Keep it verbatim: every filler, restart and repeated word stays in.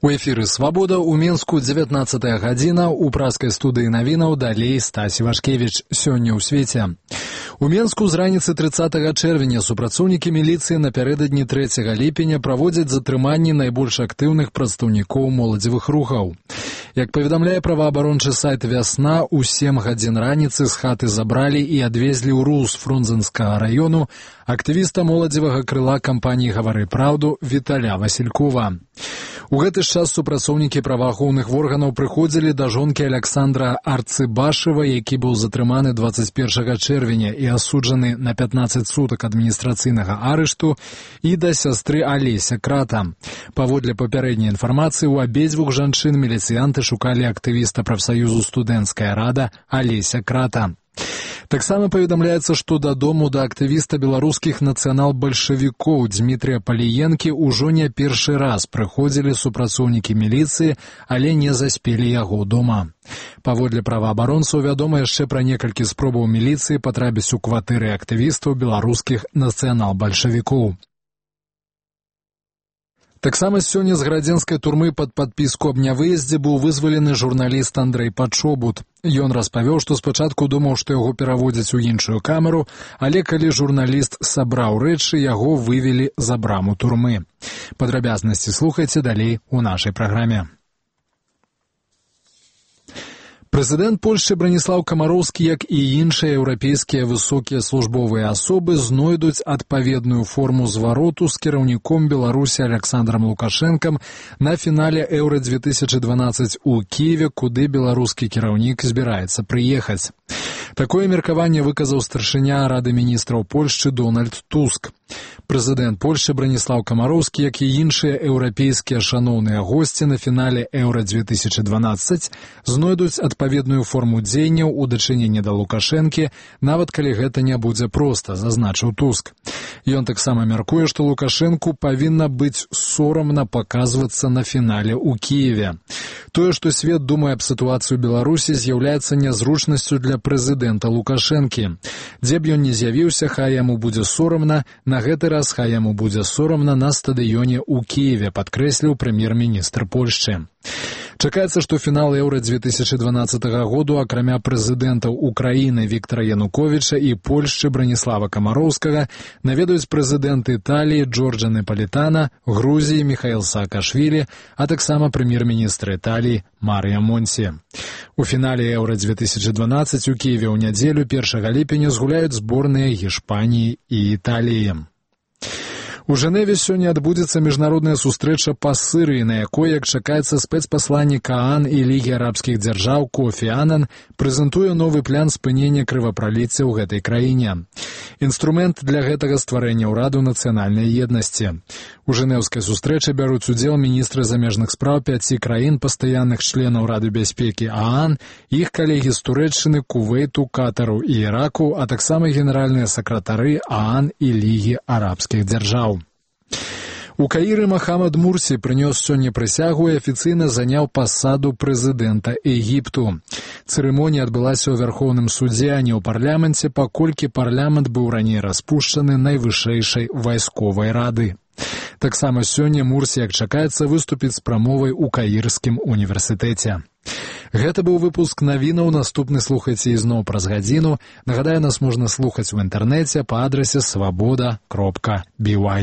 У эфіры «Свабода» у Мінску дзевятнаццатая гадзіна, у праскай студыі навінаў далей Стась Івашкевіч. Сёння ў свеце. У Мінску з раніцы трыццатага чэрвеня супрацоўнікі міліцыі напярэдадні трэцяга ліпеня праводзяць затрыманні найбольш актыўных прадстаўнікоў моладзевых рухаў. Як паведамляе праваабарончы сайт «Вясна», у сем гадзін раніцы з хаты забралі і адвезлі ў Рус Фрунзенскага раёну актывіста моладзевага крыла кампаніі «Гавары праўду» Віталя Васількова. У гэты час супрацоўнікі праваахоўных органаў прыходзілі да жонкі Аляксандра Арцыбашева, які быў затрыманы дваццаць першага чэрвеня і асуджаны на пятнаццаць сутак адміністрацыйнага арышту, і да сястры Алеся Крата. Паводле папярэдняй інфармацыі, у абедзвюх жанчын міліцыянты шукалі актывіста прафсаюзу «Студэнцкая рада» Алеся Крата. Таксама паведамляецца, што дадому да актывіста беларускіх нацыянал-бальшавікоў Дмітрия Паліенкі ўжо не першы раз прыходзілі супрацоўнікі міліцыі, але не заспелі яго дома. Паводле праваабаронцаў вядома яшчэ пра некалькі спробаў міліцыі патрапіць у кватэры актывістаў беларускіх нацыянал-бальшавікоў. Таксама сёння з градзенскай турмы пад падпіску аб нявыездзе быў вызвалены журналіст Андрэй Пачобут. Ён распавёў, што спачатку думаў, што яго пераводзяць у іншую камеру, але калі журналіст сабраў рэчы, яго вывелі за браму турмы. Падрабязнасці слухайце далей у нашай праграме. Прэзідэнт Польшчы Браніслаў Камароўскі, як і іншыя еўрапейскія высокія службовыя асобы, знойдуць адпаведную форму звароту з кіраўніком Беларусі Аляксандрам Лукашэнкам на фінале Еўра две тысячы дванаццаць у Кіеве, куды беларускі кіраўнік збіраецца прыехаць. Такое меркаванне выказаў старшыня Рады міністраў Польшчы Дональд Туск. Прэзідэнт Польшчы Браніслаў Камароўскі, як і іншыя еўрапейскія шаноўныя госці на фінале Еўра две тысячы дванаццаць, знойдуць адпаведную форму дзеянняў у дачыненні да Лукашэнкі, нават калі гэта не будзе проста, зазначыў Туск. Ён таксама мяркуе, што Лукашэнку павінна быць сорамна паказвацца на фінале ў Кіеве. Тое, што свет думае аб сітуацыі ў Беларусі, з'яўляецца нязручнасцю для прэзідэнта Лукашэнкі. Дзе б ён не з'явіўся, хай яму будзе сорамна, на гэты раз хай яму будзе сорамна на стадыёне ў Кіеве, падкрэсліў прэм'ер-міністр Польшчы. Чакаецца, што фінал Еўра две тысячы дванаццатага году, акрамя прэзідэнтаў Украіны Віктара Януковіча і Польшчы Браніслава Камароўскага, наведаюць прэзідэнты Італіі Джорджа Непалітана, Грузіі Міхаіл Саакашвілі, а таксама прэм'ер-міністр Італіі Марія Монці. У фінале Еўра две тысячы дванаццаць у Кіеве ў нядзелю першага ліпеня згуляюць зборныя Гішпаніі і Італіі. У Жэневе сёння адбудзецца міжнародная сустрэча па Сырыі, на якой, як чакаецца, спецпасланнік ААН і Лігі арабскіх дзяржаў Кофі Анан прэзентуе новы план спынення крывапраліцця ў гэтай краіне. Інструмент для гэтага стварэння ўраду нацыянальнай еднасці. У жэнеўскай сустрэчы бяруць удзел міністры замежных спраў пяці краін, пастаянных членаў Рады бяспекі ААН, іх калегі з Турэччыны, Кувейту, Катару і Іраку, а таксама генеральныя сакратары ААН і Лігі арабскіх дзяржаў. У Каіры Махамад Мурсі прынёс сёння прысягу і афіцыйна заняў пасаду прэзідэнта Егіпту. Цырымонія адбылася ў Вярхоўным судзе, а не ў парламенце, паколькі парламент быў раней распушчаны найвышэйшай вайсковай рады. Таксама сёння Мурсі, як чакаецца, выступіць з прамовай у Каірскім універсітэце. Гэта быў выпуск навінаў, наступны слухайце ізноў праз гадзіну. Нагадаю, нас можна слухаць у інтэрнэце па адрасе свабода кропка бі вай.